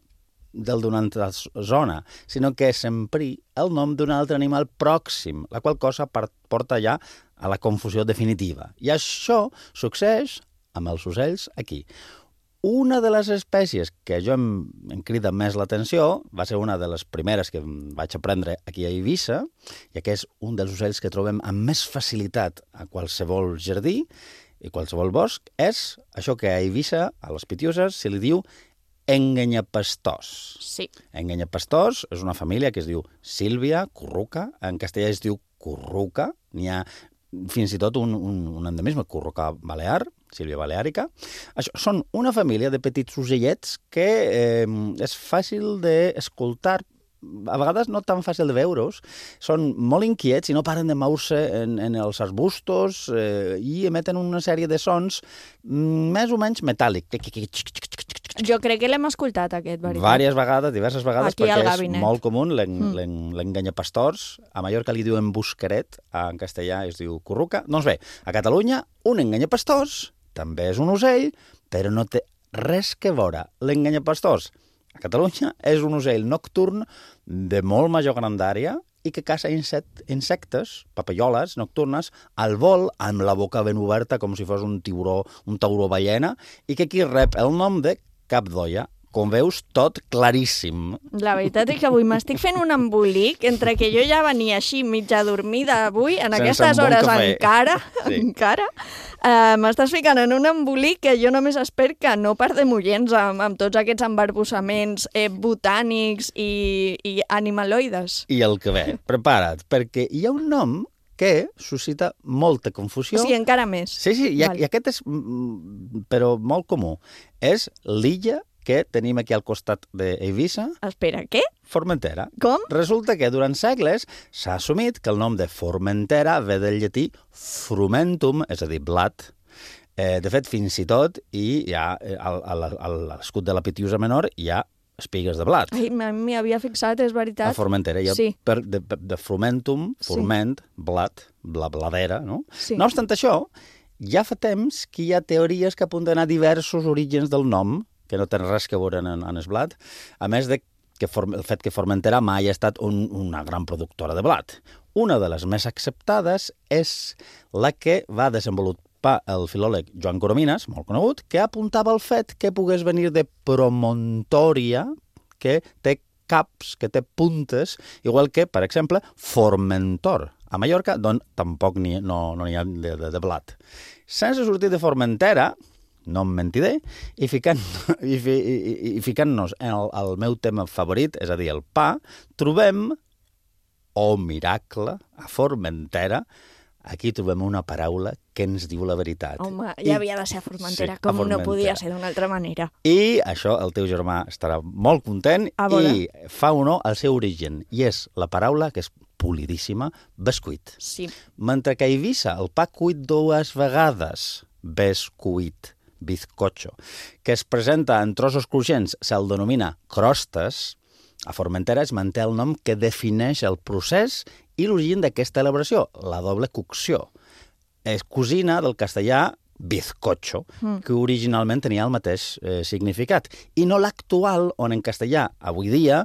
del d'una altra zona, sinó que s'empri el nom d'un altre animal pròxim, la qual cosa porta ja a la confusió definitiva. I això succeeix amb els ocells aquí. Una de les espècies que jo em crida més l'atenció va ser una de les primeres que vaig aprendre aquí a Eivissa, ja que és un dels ocells que trobem amb més facilitat a qualsevol jardí i qualsevol bosc, és això que a Eivissa, a les Pitiuses, se li diu engenyapastors. Sí. Engenyapastors és una família que es diu Sílvia, curruca, en castellà es diu curruca, n'hi ha fins i tot un endemisme, curruca balear, Sílvia baleàrica. Això són una família de petits ocellets que és fàcil d'escoltar, a vegades no tan fàcil de veure-us, són molt inquiets i no paren de moure-se en els arbustos i emeten una sèrie de sons més o menys metàl·lics. Jo crec que l'hem escoltat, aquest, veritat. Vàries vegades, diverses vegades, Aquí al perquè és gabinet. molt comú l'enganyapastors. A Mallorca li diuen buscaret, en castellà es diu curruca. Doncs bé, a Catalunya, un enganyapastors també és un ocell, però no té res que veure. L'enganyapastors a Catalunya és un ocell nocturn de molt major grandària i que caça insectes, papalloles nocturnes, al vol, amb la boca ben oberta, com si fos un tauró ballena, i que aquí rep el nom de cap d'olla. Com veus, tot claríssim. La veritat és que avui m'estic fent un embolic entre que jo ja venia així mitja dormida avui, en aquestes hores encara, m'estàs ficant en un embolic que jo només espero que no perdem oients amb tots aquests embarbussaments botànics i animaloides. I el que ve, prepara't, perquè hi ha un nom que suscita molta confusió. O sigui, encara més. Sí, i aquest és, però molt comú. És l'illa que tenim aquí al costat d'Eivissa. Espera, què? Formentera. Com? Resulta que durant segles s'ha assumit que el nom de Formentera ve del llatí frumentum, és a dir, blat. De fet, fins i tot, hi ha a l'escut de la Pitiusa Menor hi ha espigues de blat. Ai, m'hi havia fixat, és veritat. A Formentera hi ha sí. de frumentum, forment, blat, bladera, no? Sí. No obstant això, ja fa temps que hi ha teories que apunten a diversos orígens del nom, que no tenen res que veure en el blat, a més de que el fet que Formentera mai ha estat una gran productora de blat. Una de les més acceptades és la que va desenvolupar el filòleg Joan Coromines, molt conegut, que apuntava al fet que pogués venir de promontoria, que té caps, que té puntes, igual que, per exemple, Formentor. A Mallorca, d'on tampoc no n'hi ha de blat. Sense sortir de Formentera, no em mentiré, i ficant-nos en el meu tema favorit, és a dir, el pa, trobem, oh miracle, a Formentera, aquí trobem una paraula que ens diu la veritat. Home, ja havia de ser a Formentera, sí, com a Formentera. No podia ser d'una altra manera. I això el teu germà estarà molt content i fa honor al seu origen. I és la paraula que és polidíssima, bescuit. Sí. Mentre que a Eivissa el pa cuit 2 vegades, bescuit, bizcocho, que es presenta en trossos cruixents, se'l denomina crostes, a Formentera es manté el nom que defineix el procés i l'origen d'aquesta elaboració, la doble cocció. És cosina del castellà bizcocho, que originalment tenia el mateix significat, i no l'actual, on en castellà, avui dia,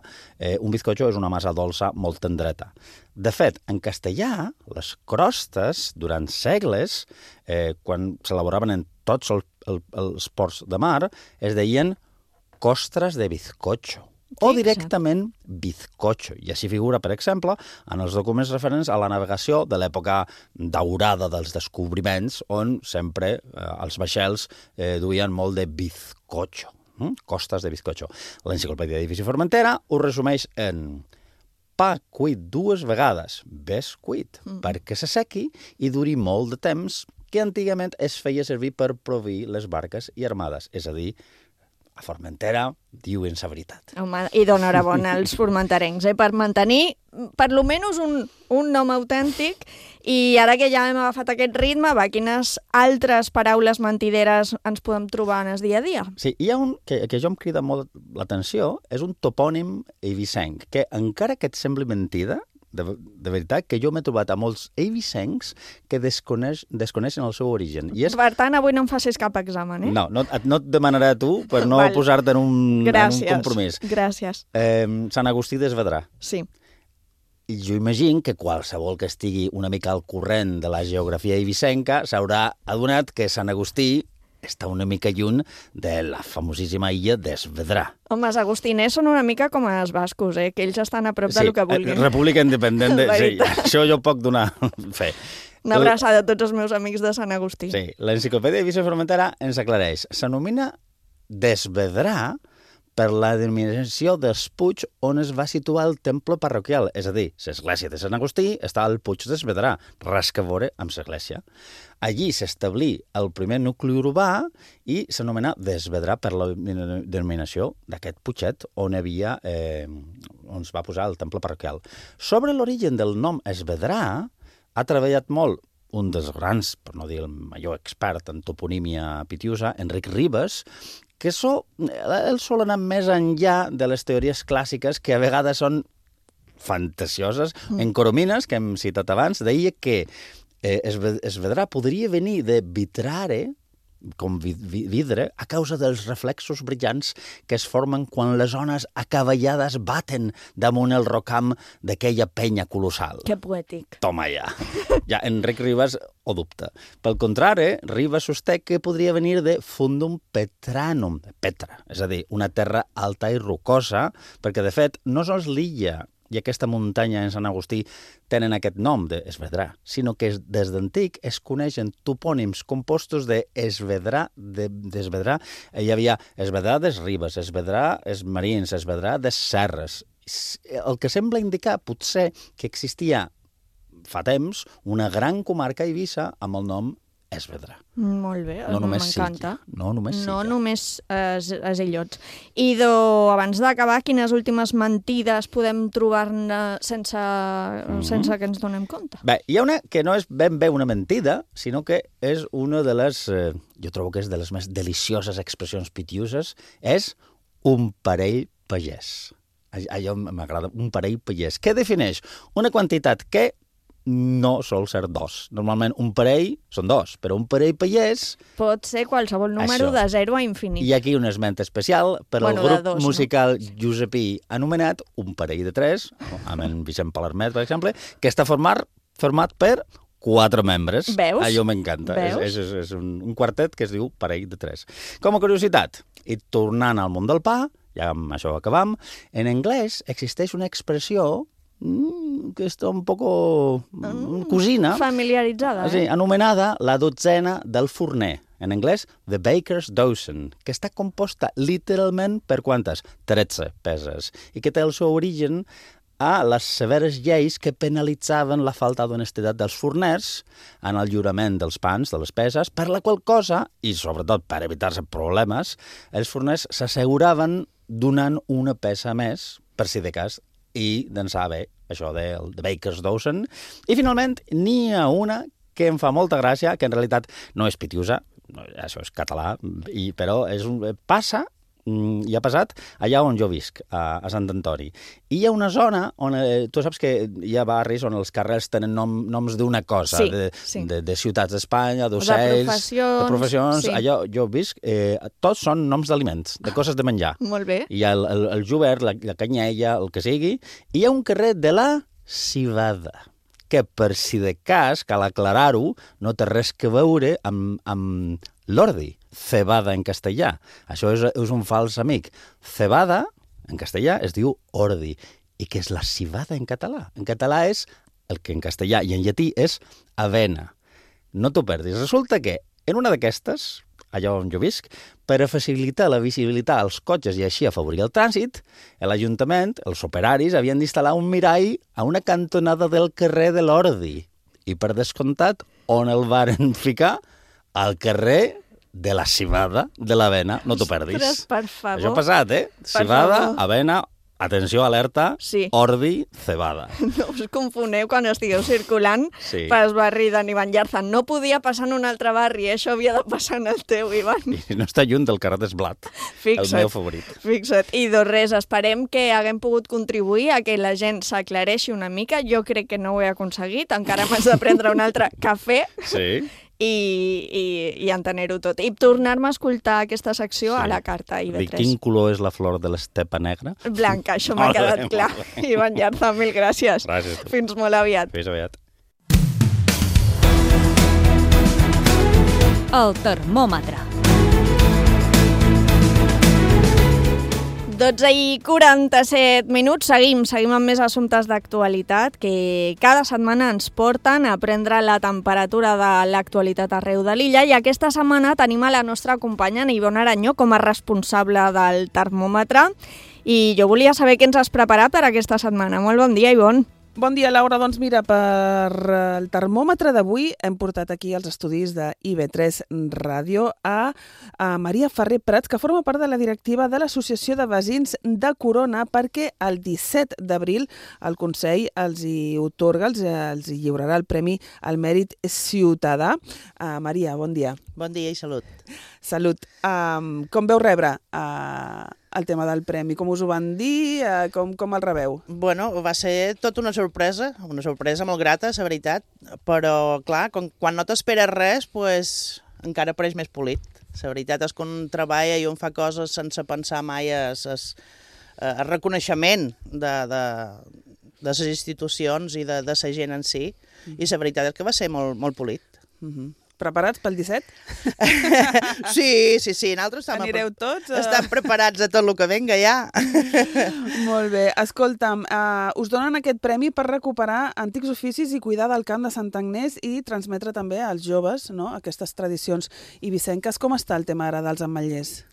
un bizcocho és una massa dolça molt tendreta. De fet, en castellà, les crostes, durant segles, quan s'elaboraven en tots els ports de mar, es deien costres de bizcocho, o directament bizcocho. I així figura, per exemple, en els documents referents a la navegació de l'època daurada dels descobriments, on sempre els vaixells duien molt de bizcocho, costes de bizcocho. L'enciclopèdia d'Eivissa i Formentera ho resumeix en pa cuit 2 vegades, bescuit, perquè s'assequi i duri molt de temps, que antigament es feia servir per proveir les barques i armades, és a dir, a Formentera diuen la veritat. Home, i d'enhorabona als formenterencs, per mantenir per lo menys un nom autèntic. I ara que ja hem agafat aquest ritme, quines altres paraules mentideres ens podem trobar en el dia a dia? Sí, hi ha un que jo em crida molt l'atenció, és un topònim eivissenc, que encara que et sembli mentida, de veritat, que jo m'he trobat a molts eivissencs que desconeixen el seu origen. Per tant, avui no em facis cap examen, eh? No et demanaré a tu per no posar-te en un compromís. Gràcies. Sant Agustí d'Esvedrà. Sí. I jo imagino que qualsevol que estigui una mica al corrent de la geografia eivissenca s'haurà adonat que Sant Agustí està una mica lluny de la famosíssima illa d'Esvedrà. Home, els agustiners són una mica com els bascos, que ells estan a prop del que vulguin. República Independent, sí, això jo puc donar fe. Una abraçada a tots els meus amics de Sant Agustí. Sí, l'enciclopèdia d'Eivissa i Formentera ens aclareix. S'anomena d'Esvedrà per la denominació dels Puig on es va situar el temple parroquial, és a dir, l'església de Sant Agustí està al Puig d'Esvedrà, res que veure amb l'església. Allí s'establí el primer nucli urbà i s'anomenà d'Esvedrà per la denominació d'aquest puiget on es va posar el temple parroquial. Sobre l'origen del nom Esvedrà ha treballat molt un dels grans, per no dir el major expert en toponímia pitiusa, Enric Ribes, que el sol anar més enllà de les teories clàssiques que a vegades són fantasioses. En Coromines, que hem citat abans, deia que Esvedrà podria venir de vitrare, com vidre, a causa dels reflexos brillants que es formen quan les ones acavallades baten damunt el rocam d'aquella penya colossal. Que poètic. Toma ja. Ja Enric Ribas ho dubta. Pel contrari, Ribas sosté que podria venir de fundum petranum, petra, és a dir, una terra alta i rocosa, perquè, de fet, no sols l'illa i aquesta muntanya en Sant Agustí tenen aquest nom d'Esvedrà, sinó que des d'antic es coneixen topònims compostos d'Esvedrà. Hi havia Esvedrà des Ribes, Esvedrà des Marins, Esvedrà des Serres. El que sembla indicar, potser, que existia fa temps una gran comarca a Eivissa amb el nom Esvedrà. Molt bé, m'encanta. No només els illots. I abans d'acabar, quines últimes mentides podem trobar-ne sense que ens donem compte? Bé, hi ha una que no és ben bé una mentida, sinó que és una de les, jo trobo que és de les més delicioses expressions pitiuses, és un parell pagès. Allò m'agrada, un parell pagès. Què defineix? Una quantitat que no sol ser dos. Normalment un parell són dos, però un parell pagès... Pot ser qualsevol número de 0 a infinit. I aquí un esment especial per al grup musical josepí anomenat Un parell de 3, amb en Vicent Palermet, per exemple, que està format per 4 membres. Veus? Allò m'encanta. És un quartet que es diu Parell de 3. Com a curiositat, i tornant al món del pa, ja amb això acabam, en anglès existeix una expressió que està un poco cosina. Familiaritzada. Sí, anomenada la dotzena del forner. En anglès, the baker's dozen, que està composta literalment per quantes? 13 peses. I que té el seu origen a les severes lleis que penalitzaven la falta d'honestedat dels forners en el lliurament dels pans, de les peses, per la qual cosa, i sobretot per evitar-se problemes, els forners s'asseguraven donant una pesa més, per si de cas, i d'en saber això del Baker's Dozen. I finalment n'hi ha una que em fa molta gràcia, que en realitat no és pitiusa, això és català, però passa i ha passat allà on jo visc, a Sant Antoni. I hi ha una zona on, tu saps que hi ha barris on els carrers tenen noms d'una cosa, de ciutats d'Espanya, d'ocells, de professions. Allà jo visc, tots són noms d'aliments, de coses de menjar. Molt bé. Hi ha el jubert, la canyella, el que sigui, i hi ha un carrer de la civada, que per si de cas, cal aclarar-ho, no té res que veure amb l'ordi, cebada en castellà. Això és un fals amic. Cebada, en castellà, es diu ordi. I què és la civada en català? En català és el que en castellà i en llatí és avena. No t'ho perdis. Resulta que en una d'aquestes, allà on jo visc, per a facilitar la visibilitat als cotxes i així afavorir el trànsit, l'Ajuntament, els operaris, havien d'instal·lar un mirall a una cantonada del carrer de l'Ordi. I per descomptat, on el varen ficar? Al carrer de la civada de l'avena. No t'ho perdis. Ostres, per favor. Això ha passat, Civada, avena, atenció, alerta, ordi, cebada. No us confoneu quan estigueu circulant pels barris d'en Ivan Llarza. No podia passar en un altre barri, això havia de passar en el teu, Ivan. I no està lluny del carrer d'Esblat, el meu favorit. Fixa't. I res, esperem que haguem pogut contribuir a que la gent s'aclareixi una mica. Jo crec que no ho he aconseguit, encara m'has de prendre un altre cafè. Sí. I entener-ho tot. I tornar-me a escoltar aquesta secció a la carta IB3. De quin color és la flor de l'estepa negra? Blanca, això m'ha quedat clar. Ivan Llarza, mil gràcies. Gràcies. Fins molt aviat. Fins aviat. El termòmetre. 12:47 seguim amb més assumptes d'actualitat que cada setmana ens porten a prendre la temperatura de l'actualitat arreu de l'illa, i aquesta setmana tenim a la nostra companya Ivonne Aranyó com a responsable del termòmetre, i jo volia saber què ens has preparat per aquesta setmana. Molt bon dia, Ivonne. Bon dia, Laura. Doncs mira, per el termòmetre d'avui hem portat aquí als estudis de IB3 Ràdio a Maria Ferrer Prats, que forma part de la directiva de l'Associació de Veïns de Corona, perquè el 17 d'abril el Consell els hi otorga, els hi lliurarà el Premi al Mèrit Ciutadà. Maria, bon dia. Bon dia i salut. Salut. Com veu rebre el tema del premi? Com us ho van dir? Com el rebeu? Bueno, va ser tota una sorpresa molt grata, la veritat, però clar, quan no t'esperes res, pues, encara apareix més polit. La veritat és que un treballa i un fa coses sense pensar mai el reconeixement de les institucions i de la gent en si, i la veritat és que va ser molt polit. Preparats pel 17? Sí, nosaltres anireu tots? Estem preparats a tot el que venga ja. Molt bé. Escolta'm, us donen aquest premi per recuperar antics oficis i cuidar del camp de Sant Agnès i transmetre també als joves, no?, aquestes tradicions ibicenques. Com està el tema ara dels ametllers?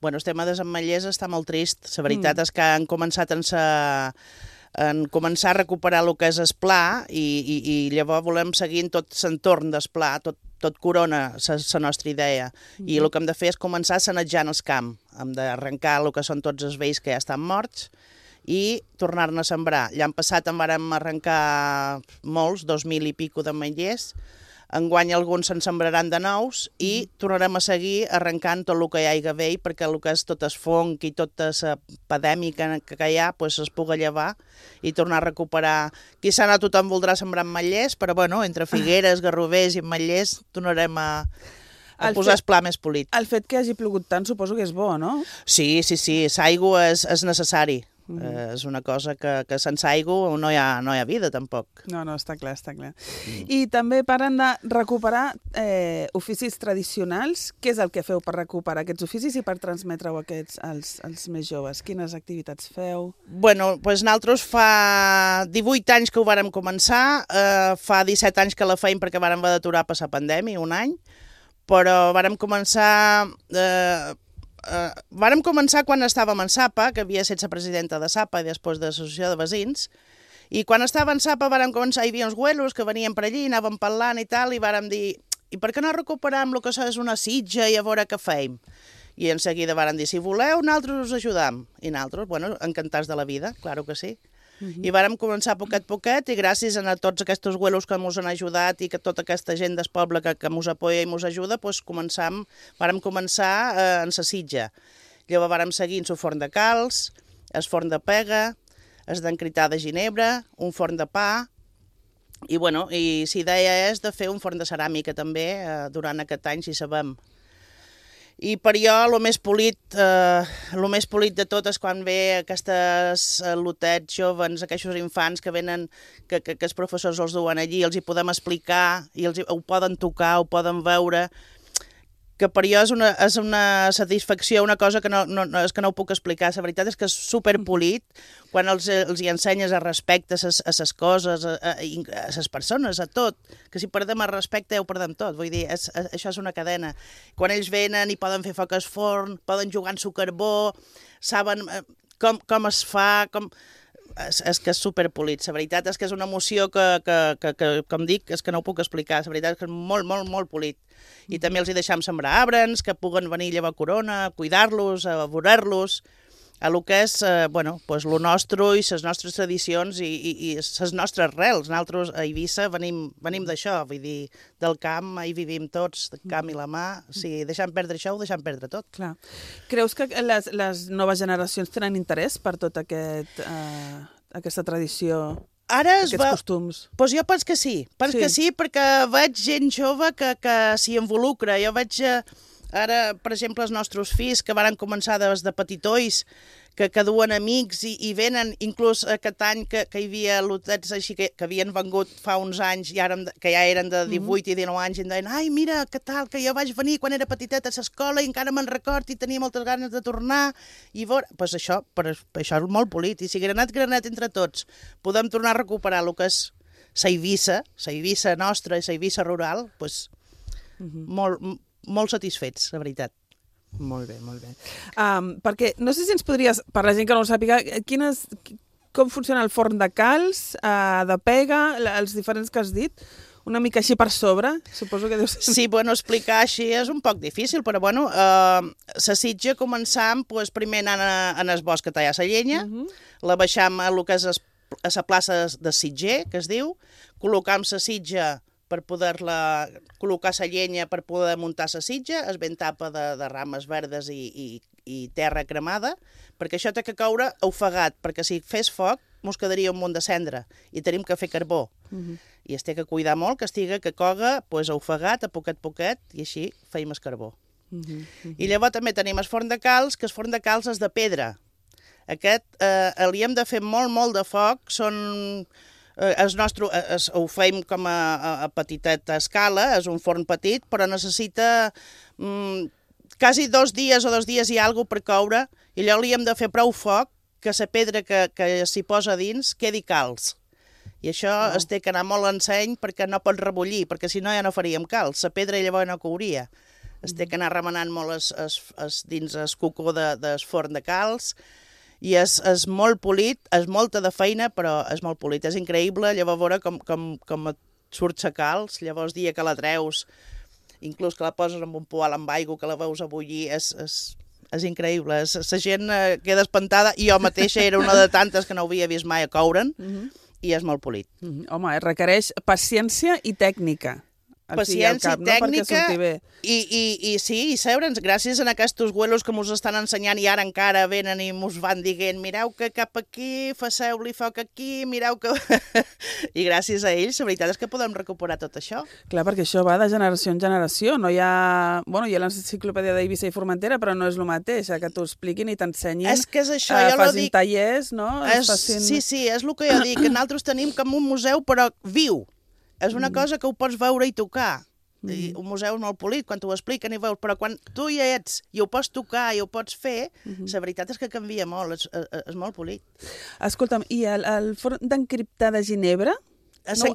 Bueno, el tema dels ametllers està molt trist. La veritat és que han començat a recuperar el que és el pla i llavors volem seguir en tot l'entorn del pla, tot Corona, la nostra idea. I el que hem de fer és començar sanejant el camp. Hem d'arrencar el que són tots els vells que ja estan morts i tornar-ne a sembrar. L'any passat en vàrem arrencar molts, 2.000 i pico d'ametllers. Enguany alguns se'n sembraran de nous i tornarem a seguir arrencant tot el que hi hagi vell, perquè el que és tot el fong i tota la pandèmica que hi ha es pugui llevar i tornar a recuperar. Quizà no tothom voldrà sembrar ametllers, però bueno, entre figueres, garrovers i ametllers tornarem a posar el pla més polit. El fet que hagi plogut tant suposo que és bo, no? Sí, l'aigua és necessari. És una cosa que sense aigua no hi ha vida, tampoc. No, està clar. I també parlen de recuperar oficis tradicionals. Què és el que feu per recuperar aquests oficis i per transmetre-ho als més joves? Quines activitats feu? Bueno, doncs nosaltres fa 18 anys que ho vàrem començar, fa 17 anys que la feim perquè vàrem haver d'aturar per la pandèmia, un any, però vàrem començar quan estàvem en SAPA, que havia estat la presidenta de SAPA i després de l'Associació de Veïns, i quan estava en SAPA vàrem començar, hi havia uns güelos que venien per allí, anàvem parlant i tal, i vàrem dir, i per què no recuperam el que és una sitja i a veure què feim? I en seguida vàrem dir, si voleu, nosaltres us ajudam. I nosaltres, bueno, encantats de la vida, claro que sí. I vàrem començar poquet i gràcies a tots aquests güelos que ens han ajudat i que tota aquesta gent del poble que ens apoya i ens ajuda, doncs vàrem començar en la sitja. Llavors vàrem seguir en el forn de calç, el forn de pega, el d'encrità de ginebra, un forn de pa, i bueno, la idea és de fer un forn de ceràmica també durant aquest any, si sabem. I per jo el més polit de tot és quan ve aquestes lotets joves, aquests infants que venen, que els professors els duen allí, els hi podem explicar, i ho poden tocar, ho poden veure, que per jo és una satisfacció, una cosa que no ho puc explicar. La veritat és que és superpolit quan els hi ensenyes a respecte a les coses, a les persones, a tot. Que si perdem el respecte ja ho perdem tot. Vull dir, això és una cadena. Quan ells venen i poden fer foc al forn, poden jugar en su carbó, saben com es fa, és que és superpolit. La veritat és que és una emoció que com dic, és que no ho puc explicar. La veritat és que és molt polit. I també els hi deixam sembrar arbres, que puguen venir a llevar corona, a cuidar-los, a veure-los, a lo que és, lo nostre i les nostres tradicions i les nostres arrels. Nosaltres a Eivissa venim d'això, vull dir, del camp, hi vivim tots, del camp i la mà. Si deixem perdre això, ho deixem perdre tot. Clar. Creus que les noves generacions tenen interès per tota aquesta tradició? Aquests costums? Doncs jo penso que sí. Perquè veig gent jove que s'hi involucra. Jo veig ara, per exemple, els nostres fills que van començar des de petitolls, que duen amics i venen, inclús aquest any que hi havia lotets així que havien vengut fa uns anys i ara que ja eren de 18 i 19 anys i em deien, ai, mira, què tal, que jo vaig venir quan era petiteta a l'escola i encara me'n record i tenia moltes ganes de tornar i veure... Doncs això és molt polit i si granet entre tots podem tornar a recuperar el que és la Eivissa nostra i la Eivissa rural, doncs molt satisfets, la veritat. Molt bé. Perquè no sé si ens podries, per la gent que no ho sàpiga, com funciona el forn de calç, de pega, els diferents que has dit? Una mica així per sobre, suposo que deu ser... Sí, bueno, explicar així és un poc difícil, però bueno, la sitja començam primer anant en el bosc a tallar la llenya, la baixam a lo que és a la plaça de sitger, que es diu, col·locam la sitja per poder-la col·locar la llenya per poder muntar la sitja, es ben tapa de rames verdes i terra cremada, perquè això té que caure ofegat, perquè si fes foc mos quedaria un munt de cendra i tenim que fer carbó. I es té que cuidar molt que coga ofegat a poquet, i així feim el carbó. I llavors també tenim el forn de calç, que el forn de calç és de pedra. Aquest li hem de fer molt de foc, ho feim com a petiteta escala, és un forn petit, però necessita quasi 2 dies o 2 dies i alguna per coure, i allò li hem de fer prou foc que la pedra que s'hi posa dins quedi calç. I això es té que anar molt enseny perquè no pot rebullir, perquè si no ja no faríem calç. La pedra llavors no couria. Es té que anar remenant molt dins el cucó del forn de calç, i és molt polit, és molta de feina, però és molt polit. És increïble, llavors veure com et surt la calç, llavors dia que la treus, inclús que la poses en un poal amb aigua, que la veus a bullir, és increïble. La gent queda espantada, i jo mateixa era una de tantes que no havia vist mai a coure'n, i és molt polit. Home, requereix paciència i tècnica. Paciència i tècnica, i sí, i sabre'ns, gràcies a aquests güelos que mos estan ensenyant, i ara encara venen i mos van dient, mireu que cap aquí, faceu-li foc aquí, mireu que... I gràcies a ells, la veritat és que podem recuperar tot això. Clar, perquè això va de generació en generació, no hi ha... Bueno, hi ha l'enciclopèdia d'Eivissa i Formentera, però no és el mateix, que t'ho expliquin i t'ensenyin, és que és això, jo lo dic... facin tallers, no? Sí, és el que jo dic, que nosaltres tenim com un museu, però viu. És una cosa que ho pots veure i tocar. I un museu és molt polit, quan t'ho expliquen i veus, però quan tu hi ets i ho pots tocar i ho pots fer, la veritat és que canvia molt, és molt polit. Escolta'm, i el forn d'encriptar de Ginebra? Això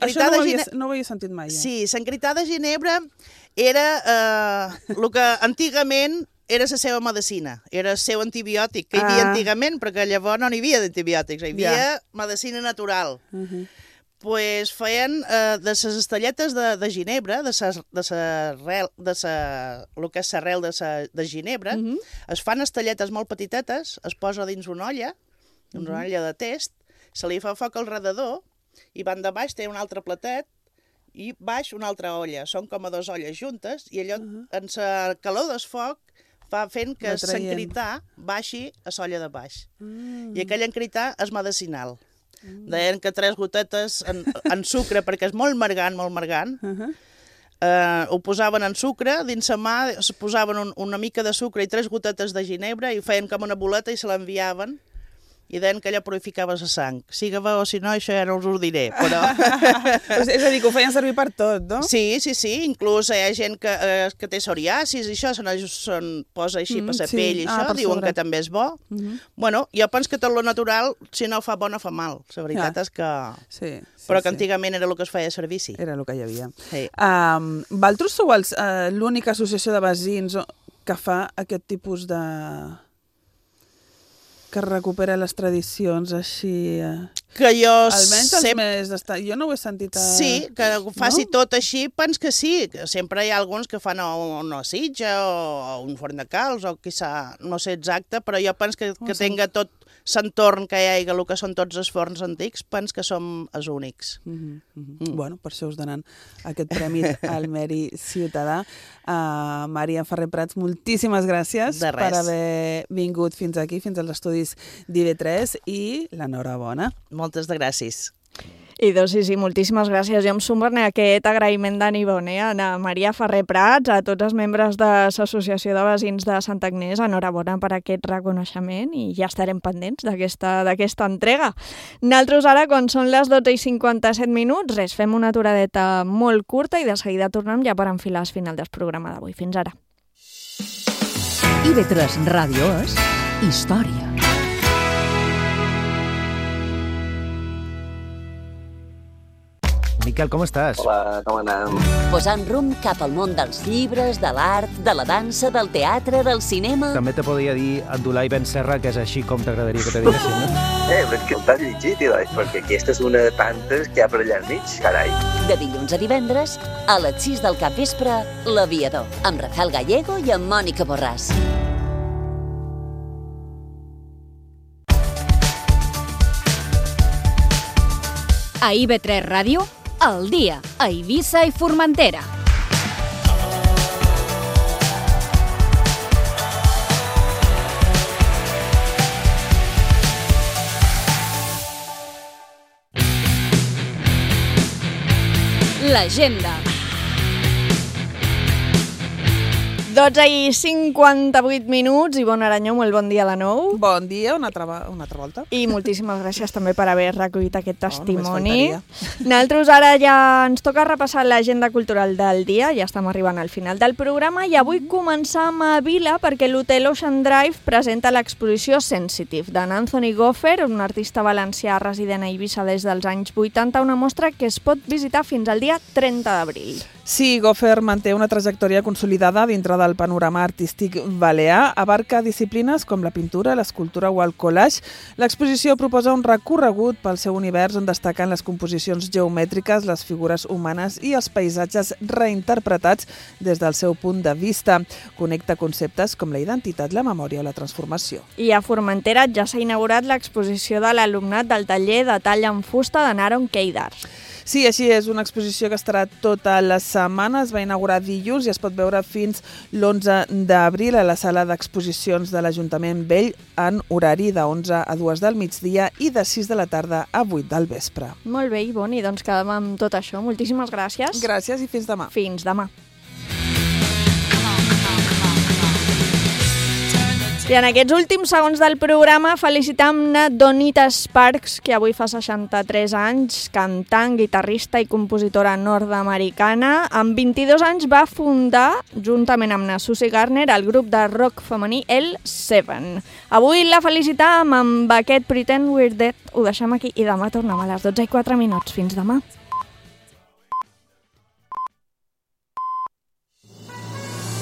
no ho havia sentit mai. Sí, l'encriptar de Ginebra era el que antigament era la seva medicina, era el seu antibiòtic, que hi havia antigament, perquè llavors no n'hi havia d'antibiòtics, hi havia medicina natural. Pues feien de les estelletes de Ginebra, el que és l'arrel de Ginebra, es fan estelletes molt petitetes, es posa dins una olla de test, se li fa foc al redador, i van de baix té un altre platet, i baix una altra olla. Són com a 2 olles juntes, i allò, en la calor del foc, va fent que l'encritar baixi a l'olla de baix. I aquell encritar és medicinal. Deien que 3 gotetes en sucre, perquè és molt margant, ho posaven en sucre, dins la mà es posaven una mica de sucre i 3 gotetes de ginebra i ho feien com una boleta i se l'enviaven, i deien que allò purificava la sang. Siga-va o si no, això ja no us ho diré, però... És a dir, que ho feien servir per tot, no? Sí, inclús hi ha gent que té psoriasis i això, se'n posa així per la pell i això, diuen que també és bo. Bueno, jo penso que tot lo natural, si no fa bo, no fa mal. La veritat és que... Però que antigament era el que es feia servici. Era el que hi havia. Vosaltres sou l'única associació de veïns que fa aquest tipus de... que recupera les tradicions així... Que jo... Almenys els més... Jo no ho he sentit... Sí, que ho faci tot així, pens que sí. Sempre hi ha alguns que fan una sitja o un forn de calç o quizà, no sé exacte, però jo pens que tenga tot l'entorn que hi ha, el que són tots els forns antics, pens que som els únics. Bueno, per això us donen aquest premi al mèrit ciutadà. Maria Ferrer Prats, moltíssimes gràcies per haver vingut fins aquí, fins als estudis d'IV3, i l'enhorabona. Moltes de gràcies. I doncs sí, moltíssimes gràcies. Jo em sumo a aquest agraïment d'en Ivone, a Maria Ferrer Prats, a tots els membres de l'Associació de Veïns de Santa Agnès. Enhorabona per aquest reconeixement i ja estarem pendents d'aquesta entrega. Nosaltres ara, quan són les 12:57, fem una aturadeta molt curta i de seguida tornem ja per enfilar el final del programa d'avui. Fins ara. IV3 Ràdio és història. Miquel, com estàs? Hola, com anem? Posant rumb cap al món dels llibres, de l'art, de la dansa, del teatre, del cinema... També te podria dir Abdulai Ben Serra, que és així com t'agradaria que te diguessin, no? Però és que t'has llegit, Ilai, perquè aquesta és una de tantes que hi ha per allà al mig, carai. De dilluns a divendres, a les 6 del capvespre, L'Aviador, amb Rafael Gallego i amb Mònica Borràs. A IB3 Ràdio, al dia, a Eivissa i Formentera. L'agenda. 12 i 58 minuts. Ivonne Aranyó, molt bon dia de nou. Bon dia, una altra volta. I moltíssimes gràcies també per haver recollit aquest testimoni. Nosaltres ara ja ens toca repassar l'agenda cultural del dia, ja estem arribant al final del programa i avui començam a Vila perquè l'Hotel Ocean Drive presenta l'exposició Sensitive d'en Anthony Goffer, un artista valencià resident a Eivissa des dels anys 80, una mostra que es pot visitar fins al dia 30 d'abril. Sí, Goffer manté una trajectòria consolidada dintre del panorama artístic balear, abarca disciplines com la pintura, l'escultura o el collage. L'exposició proposa un recorregut pel seu univers on destaquen les composicions geomètriques, les figures humanes i els paisatges reinterpretats des del seu punt de vista. Connecta conceptes com la identitat, la memòria o la transformació. I a Formentera ja s'ha inaugurat l'exposició de l'alumnat del taller de tall en fusta de Naron Keidar. Sí, així és, una exposició que estarà tota la setmana, es va inaugurar dilluns i es pot veure fins l'11 d'abril a la sala d'exposicions de l'Ajuntament Vell en horari de 11 a 2 del migdia i de 6 de la tarda a 8 del vespre. Molt bé, Ivonne, doncs quedem amb tot això. Moltíssimes gràcies. Gràcies i fins demà. Fins demà. I en aquests últims segons del programa felicitam-ne Donita Sparks, que avui fa 63 anys, cantant, guitarrista i compositora nord-americana. Amb 22 anys va fundar, juntament amb la Susie Garner, el grup de rock femení L7. Avui la felicitam amb aquest Pretend We're Dead. Ho deixem aquí i demà tornem a les 12:04. Fins demà.